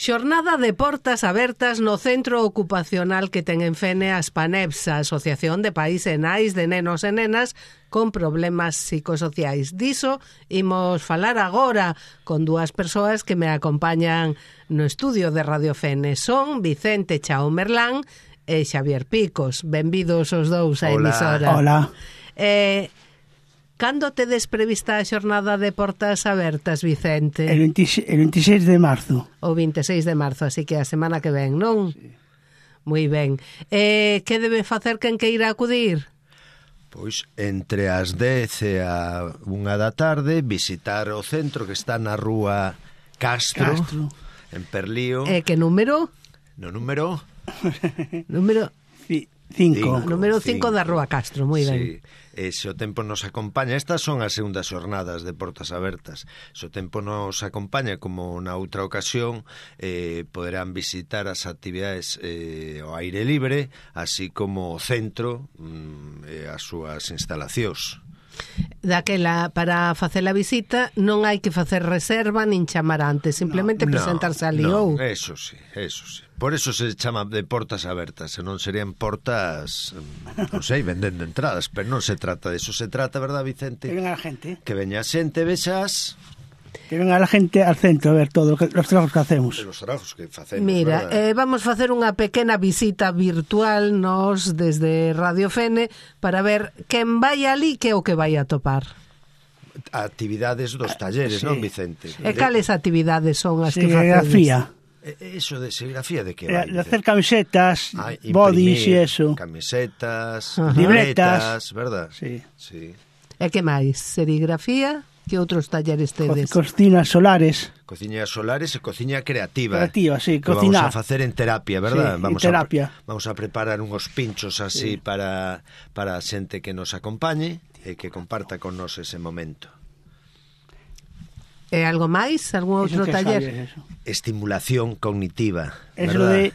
Xornada de portas abertas no centro ocupacional que ten en Fene a Aspanepsa, Asociación de Pais e Nais de Nenos e Nenas con problemas psicosociais. Diso imos falar agora con dúas persoas que me acompañan no estudio de Radio Fene. Son Vicente Chao Merlán e Xavier Picos. Benvidos os dous á emisora. Hola. Cando tedes prevista a xornada de portas abertas, Vicente? El 26 de marzo. O 26 de marzo, así que a semana que ven, non? Sí. Moi ben. Que debe facer quen queira acudir? Pois entre as 10 e a 1 da tarde visitar o centro que está na rúa Castro. En Perlío. Que número? No número? Número 5. Número 5 da rúa Castro, moi ben. Sí. Se o tempo nos acompaña, estas son as segundas xornadas de portas abertas. Se o tempo nos acompaña, como na outra ocasión, poderán visitar as actividades ao aire libre, así como o centro e as súas instalacións. Daquela, para facer a visita non hai que facer reserva nin chamar antes, simplemente presentarse ali ou... Eso sí. Por eso se chama de portas abertas, senón serían portas, non sei, vendendo entradas, pero non se trata de eso, se trata, verdad, Vicente? Que venga a gente. Que veña a xente, vexas... Que venga a gente al centro a ver todo os trabajos que hacemos. Os trabajos que facemos, mira, vamos facer unha pequena visita virtual nos desde Radio Fene para ver quen vai ali que é o que vai a topar. Actividades dos talleres, sí, non, Vicente? E cales actividades son as que facedes? Serigrafía. Eso de serigrafía de que vai? De hacer camisetas, bodies e eso. Camisetas, libretas, verdad? Sí. E que máis? Serigrafía? Que outros talleres tedes? Cocinas solares. Cociñas solares e cociña creativa. Creativa, sí, Vamos cocinar. a facer en terapia, verdad? Sí, terapia. Vamos a preparar unhos pinchos así para a xente que nos acompañe e que comparta con nos ese momento. E algo máis? Algún outro taller? Estimulación cognitiva, verdad?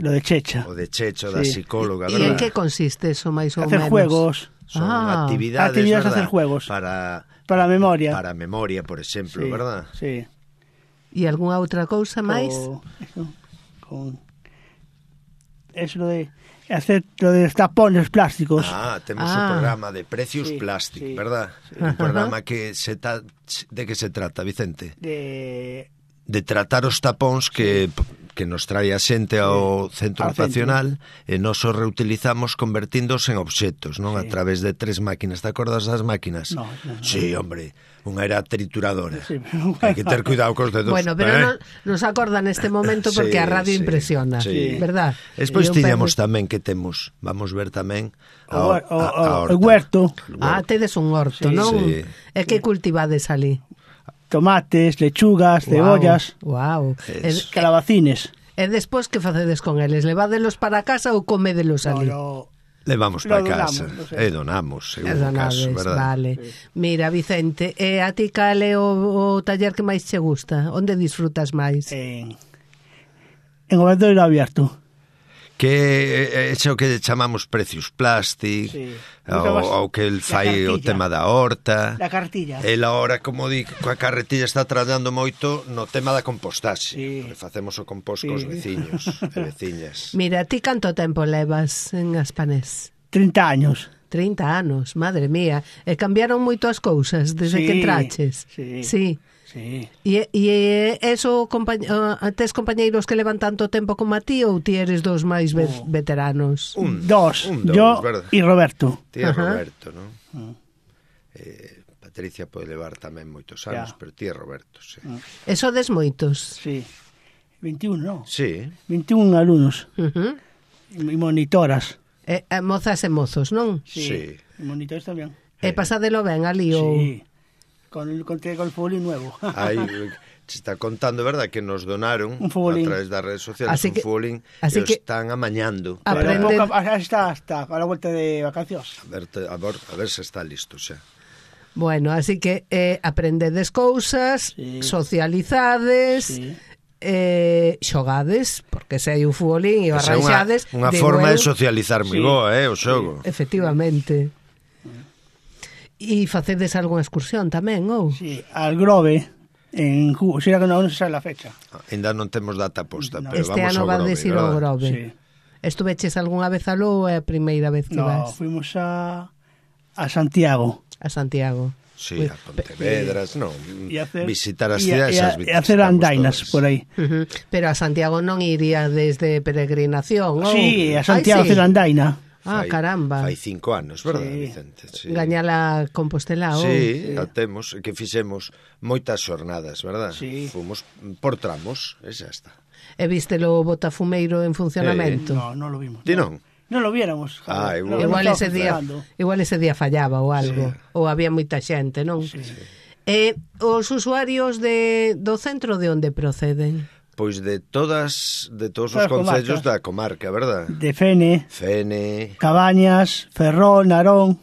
Lo de Checha. O de Checho, da psicóloga, verdad? E en que consiste eso, máis ou menos? Hacer juegos. Son actividades, ¿verdad? Hacer juegos. Para a memoria. Para a memoria, por exemplo, sí, verdad? Sí. E algunha outra cousa máis? Eso de hacer lo de tapones plásticos. Temos un programa de precios plásticos, verdad? Sí. Un programa que de que se trata, Vicente? De tratar os tapóns que nos trae a xente ao centro ocupacional e nos os reutilizamos convertíndoos en obxetos, non? A través de 3 máquinas. Te acordas das máquinas? No. Sí, hombre, unha era trituradora. Sí, hai que ter cuidado cos dedos. Bueno, pero nos acorda neste momento porque a radio impresiona, verdad? Despois tiñamos tamén que temos, vamos ver tamén o huerto. Tedes un horto, non? Sí. E que cultivades ali? Tomates, lechugas, cebollas, calabacines. E despois que facedes con eles? Levádelos para casa ou comédelos ali? Levamos para casa e donamos, según o caso, verdad? Vale. Sí. Mira, Vicente, a ti cal é o taller que máis che gusta? Onde disfrutas máis? En Obradoiro Abierto. Que é o que chamamos precios plásticos, ou que el fai o tema da horta. Da cartilla. El ahora, como di, coa carretilla está traballando moito no tema da compostaxe. Facemos o compost cos veciños e veciñas. Mira, ti canto tempo levas en Aspanés? 30 años. 30 anos, madre mía. E cambiaron moito as cousas desde que entraches? Sí. E eso, tes compañeiros que levan tanto tempo como a ti ou ti eres dos máis veteranos? Dos, yo e Roberto. Ti e Roberto, non? Patricia pode levar tamén moitos anos, pero ti e Roberto, sí. E sodes moitos? Sí. 21, non? Sí. 21 alumnos. E monitoras. Mozas e mozos, non? Sí. E monitores tamén. E pasadelo ben ali ou... Sí. Con el futbolín nuevo. Aí se está contando, verdad, que nos donaron a través das redes sociales un futbolín e o están amañando. Está a la vuelta de vacacións. A ver se está listo xa. Bueno, así que aprendedes cousas, socializades, xogades, porque se hai un futbolín e o arranxades... Unha forma de socializar moi boa, o xogo. Efectivamente. E facedes algunha excursión tamén, ou? Sí, al Grove, en julio, será que non se sabe a fecha. Ainda non temos data posta, No. pero Este vamos ano ao va Grove, decir o verdad? Grove. Sí. Estuveches algunha vez aló ou é a primeira vez que No, vas fuimos a Santiago. a Santiago? Sí, a Pontevedras, non. Visitar as e cidades, hacer andainas por aí. Pero a Santiago non iría desde peregrinación, ou? Sí, a Santiago Ai, hacer andaina. Caramba. Fai 5 anos, verdad, Sí. Vicente? Sí. Gañala Compostela, ou? Sí, a temos, que fixemos moitas xornadas, verdad? Sí. Fomos por tramos, e xa está. E vístelo o botafumeiro en funcionamento? No, non lo vimos. Ti non? Non lo viéramos. Igual ese día fallaba ou algo, ou había moita xente, non? Sí. Os usuarios do centro de onde proceden? Pois de todos os concellos da comarca, verdad? De Fene, Cabañas, Ferrol, Narón,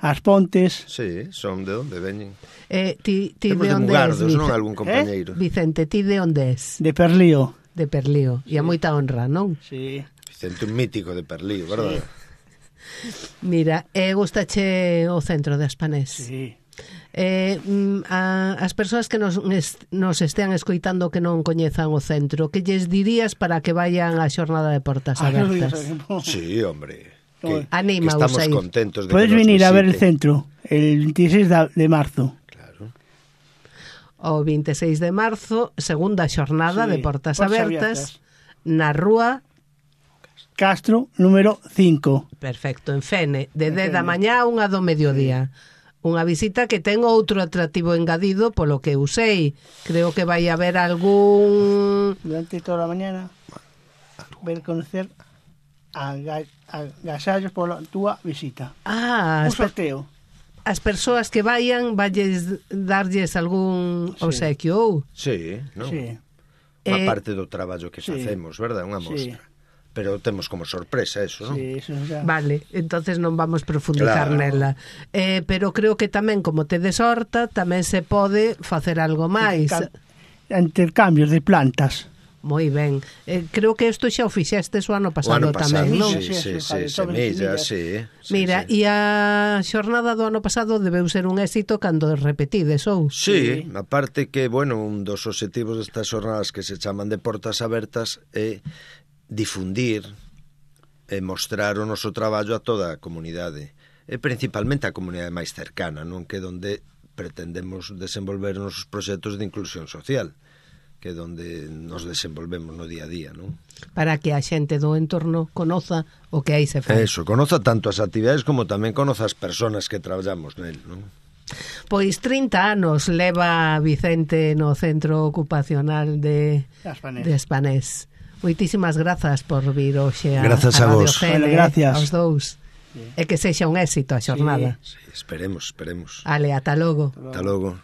As Pontes. Sí, son de onde veñen. Ti Temos de de onde Mugardos, és, non algún compañeiro? Vicente, ti de onde és? De Perlío. De Perlío. E a moita honra, non? Sí. Vicente, un mítico de Perlío, verdad? Mira, gustache o centro de Aspanés? Sí. As persoas que nos estean escoitando que non coñezan o centro, que lles dirías para que vayan á xornada de portas abertas? Sí, hombre. Anima, estamos Usaid. contentos de Puedes que nos venir a ver el visiten. centro el 26 de marzo. Claro. O 26 de marzo, segunda xornada Sí, de portas portas abertas na rúa Castro, número 5. Perfecto, en Fene, de 10 da mañá a 1 do mediodía. Unha visita que ten outro atractivo engadido, polo que usei. Creo que vai haber algún... Durante toda a mañana ver conocer agasallos pola túa visita. Un sorteo. As persoas que vayan, valles darlles algún obsequio, ou? Sí, non? Sí. Unha parte do traballo que facemos, verdad? Unha mostra. Pero temos como sorpresa eso, non? Sí, eso ya. Vale, entonces non vamos profundizar nela. Pero creo que tamén, como tedes horta, tamén se pode facer algo máis. Intercambios de plantas. Moi ben. Creo que isto xa o fixestes o ano pasado tamén, non? Sí, semillas, sí. Mira, e a xornada do ano pasado debeu ser un éxito cando repetides, ou? Sí, aparte que, bueno, un dos obxectivos destas xornadas que se chaman de portas abertas é difundir e mostrar o noso traballo a toda a comunidade, e principalmente a comunidade máis cercana, non? Que onde pretendemos desenvolver os nosos proxectos de inclusión social, que é onde nos desenvolvemos no día a día, non? Para que a xente do entorno conoza o que aí se fai. Eso, conoza tanto as actividades como tamén conoza as persoas que traballamos nel, non? Pois 30 anos leva Vicente no centro ocupacional de Aspanés. Moitísimas grazas por vir hoxe a Radio Gene, aos dous. E que sexa un éxito a xornada. Sí, esperemos. Ale, ata logo. Ata logo.